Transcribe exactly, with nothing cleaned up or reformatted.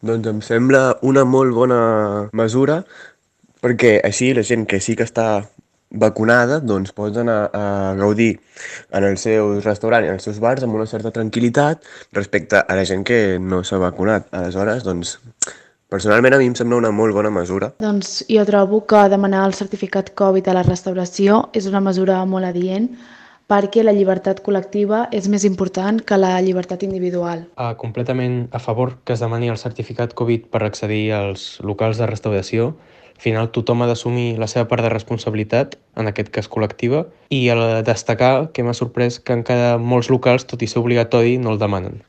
Doncs em sembla una molt bona mesura perquè així la gent que sí que està vacunada doncs pot anar a gaudir en els seus restaurants i en els seus bars amb una certa tranquil·litat respecte a la gent que no s'ha vacunat. Aleshores, doncs, personalment a mi em sembla una molt bona mesura. Doncs jo trobo que demanar el certificat Covid a la restauració és una mesura molt adient perquè la llibertat col·lectiva és més important que la llibertat individual. Uh, completament a favor que es demani el certificat Covid per accedir als locals de restauració. Al final tothom ha d'assumir la seva part de responsabilitat, en aquest cas col·lectiva, i a destacar que m'ha sorprès que encara molts locals, tot i ser obligatori, no el demanen.